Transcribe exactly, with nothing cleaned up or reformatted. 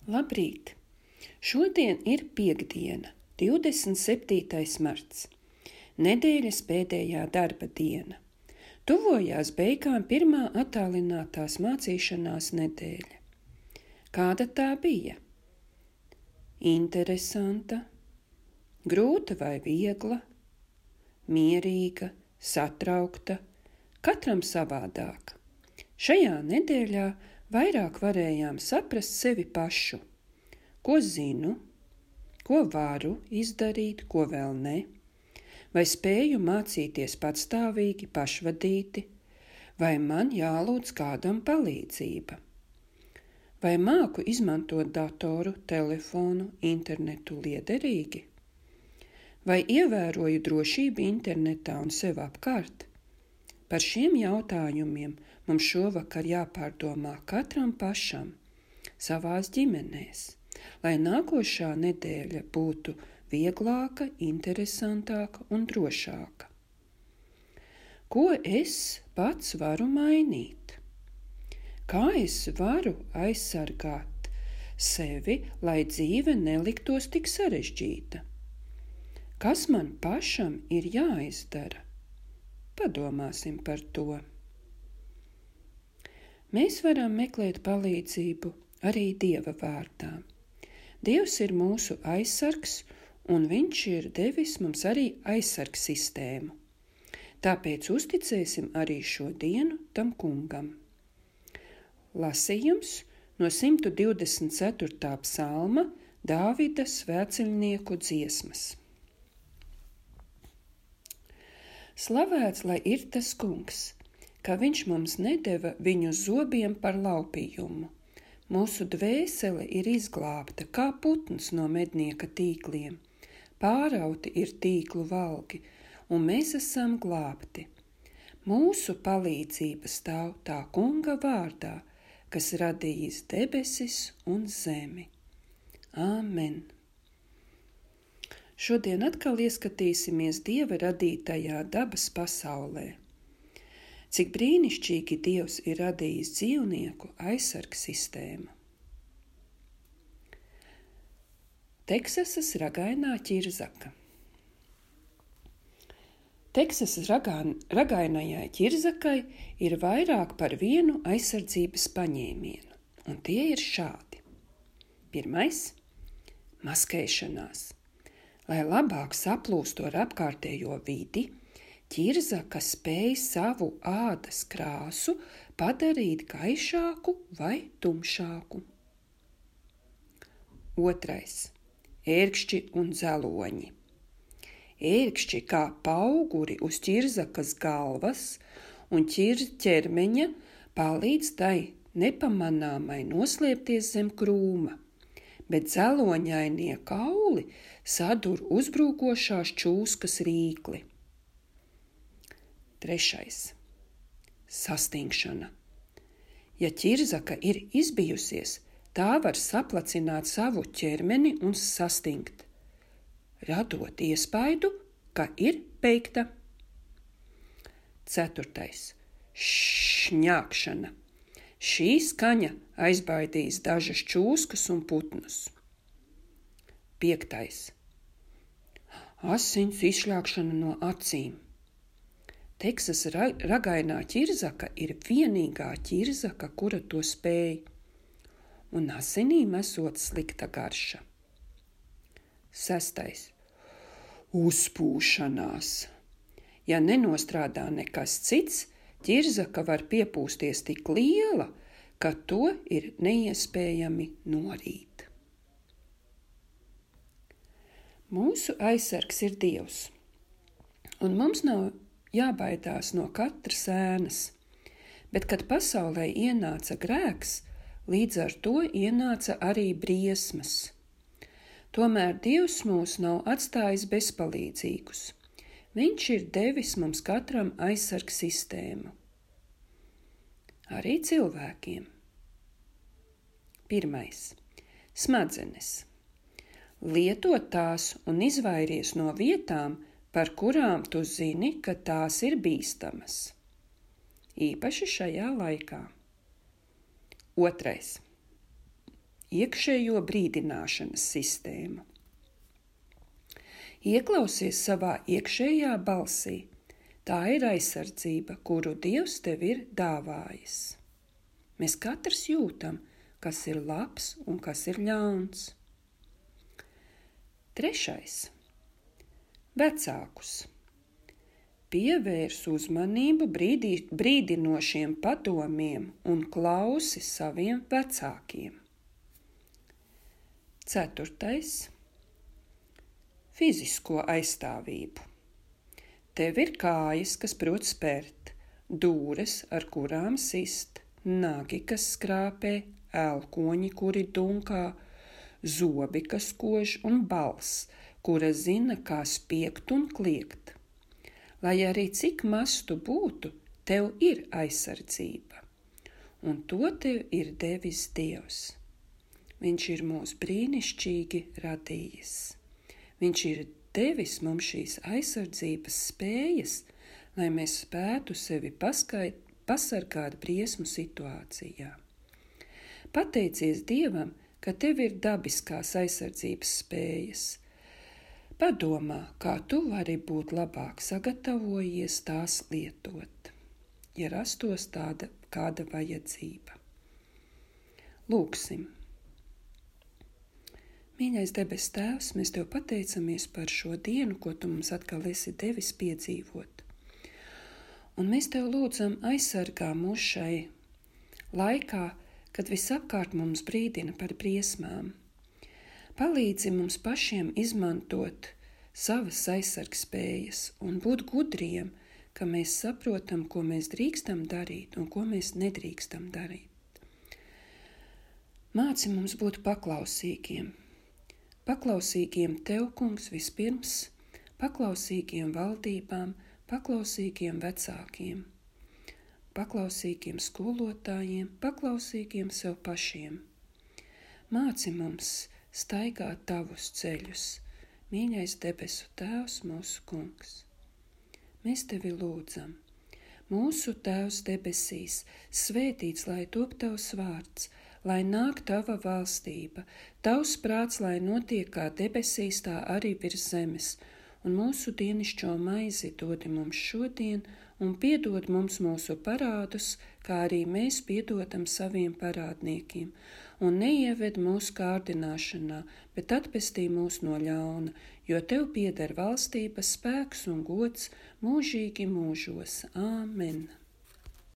Labrīt! Šodien ir piektdiena, divdesmit septītais marts, nedēļas pēdējā darba diena. Tuvojās beigām pirmā attālinātās mācīšanās nedēļa. Kāda tā bija? Interesanta, grūta vai viegla, mierīga, satraukta, katram savādāk. Šajā nedēļā vairāk varējām saprast sevi pašu, ko zinu, ko varu izdarīt, ko vēl ne, vai spēju mācīties patstāvīgi, pašvadīti, vai man jālūdz kādam palīdzība, vai māku izmantot datoru, telefonu, internetu liederīgi, vai ievēroju drošību internetā un sev apkārt. Par šiem jautājumiem mums šovakar jāpārdomā katram pašam, savās ģimenēs, lai nākošā nedēļa būtu vieglāka, interesantāka un drošāka. Ko es pats varu mainīt? Kā es varu aizsargāt sevi, lai dzīve neliktos tik sarežģīta? Kas man pašam ir jāizdara? Padomāsim par to. Mēs varam meklēt palīdzību arī Dieva vārdā. Dievs ir mūsu aizsargs, un Viņš ir devis mums arī aizsargs sistēmu. Tāpēc uzticēsim arī šo dienu tam kungam. Lasījums no simt divdesmit ceturtā psalma Dāvida svēceļnieku dziesmas. Slavēts, lai ir tas kungs, ka viņš mums nedeva viņu zobiem par laupījumu. Mūsu dvēsele ir izglābta kā putns no mednieka tīkliem. Pārauti ir tīklu valgi, un mēs esam glābti. Mūsu palīdzība stāv tā kunga vārdā, kas radījis debesis un zemi. Āmen! Šodien atkal ieskatīsimies Dieva radītajā dabas pasaulē. Cik brīnišķīgi Dievs ir radījis dzīvnieku aizsarg sistēmu. Teksasas ragainā ķirzaka. Teksasas ragā, ragainajai ķirzakai ir vairāk par vienu aizsardzības paņēmienu, un tie ir šādi. Pirmais – maskēšanās. Lai labāk saplūstu ar apkārtējo vidi, ķirzaka spēj savu ādas krāsu padarīt gaišāku vai tumšāku. Otrais – ērkšķi un dzeloņi. Ērkšķi kā pauguri uz ķirzakas galvas un ķermeņa palīdz tai nepamanāmai noslēpties zem krūma, bet dzeloņainie kauli sadur uzbrukošās čūskas rīkli. Trešais – sastingšana. Ja ķirzaka ir izbijusies, tā var saplacināt savu ķermeni un sastingt, radot iespaidu, ka ir beigta. Ceturtais – šņākšana. Šī skaņa aizbaidīs dažas čūskas un putnus. Piektais – asins izšļākšana no acīm. Teksas ragainā ķirzaka ir vienīgā ķirzaka, kura to spēj, un asinīm esot slikta garša. Sestais – uzpūšanās. Ja nenostrādā nekas cits, ķirzaka var piepūsties tik liela, ka to ir neiespējami norīt. Mūsu aizsargs ir Dievs, un mums nav jābaidās no katras ēnas, bet, kad pasaulē ienāca grēks, līdz ar to ienāca arī briesmas. Tomēr Dievs mūs nav atstājis bezpalīdzīgus. Viņš ir devis mums katram aizsarg sistēmu. Arī cilvēkiem. Pirmais – smadzenes. Lietot tās un izvairies no vietām, par kurām tu zini, ka tās ir bīstamas. Īpaši šajā laikā. Otrais iekšējo brīdināšanas sistēmu. Ieklausies savā iekšējā balsī. Tā ir aizsardzība, kuru Dievs tev ir dāvājis. Mēs katrs jūtam, kas ir labs un kas ir ļauns. Trešais. Vecākus. Pievērs uzmanību brīdī, brīdinošiem padomiem un klausi saviem vecākiem. Ceturtais. Fizisko aizstāvību. Tev ir kājas, kas prot spērt, dūres, ar kurām sist, nagi, kas skrāpē, elkoņi, kuri dunkā, zobi, kas kož un balss, kura zina, kā spiegt un kliegt. Lai arī cik maz tu būtu, tev ir aizsardzība, un to tev ir devis Dievs. Viņš ir mūs brīnišķīgi radījis. Viņš ir devis mums šīs aizsardzības spējas, lai mēs spētu sevi paskait, pasargāt briesmu situācijā. Pateicies Dievam, ka tev ir dabiskās aizsardzības spējas. Padomā, kā tu vari būt labāk sagatavojies tās lietot, ja rastos tāda kāda vajadzība. Lūksim. Mīļais debes Tēvs, mēs Tev pateicamies par šo dienu, ko Tu mums atkal esi devis piedzīvot. Un mēs Tev lūdzam aizsargā mūs šai laikā, kad visapkārt mums brīdina par briesmām. Palīdzi mums pašiem izmantot savas aizsargspējas un būt gudriem, ka mēs saprotam, ko mēs drīkstam darīt un ko mēs nedrīkstam darīt. Māci mums būt paklausīgiem. Paklausīgiem Tev, Kungs, vispirms, paklausīgiem valdībām, paklausīgiem vecākiem, paklausīgiem skolotājiem, paklausīgiem sev pašiem. Māci mums staigāt Tavus ceļus, mīļais debesu Tēvs, mūsu Kungs. Mēs Tevi lūdzam. Mūsu Tēvs debesīs, svētīts lai top Tavs vārds, lai nāk Tava valstība, Tavs prāts, lai notiek kā debesīs, tā arī virs zemes, un mūsu dienišķo maizi dodi mums šodien, un piedod mums mūsu parādus, kā arī mēs piedodam saviem parādniekiem, un neieved mūsu kārdināšanā, bet atpestī mūs no ļauna, jo Tev pieder valstība, spēks un gods mūžīgi mūžos. Āmen!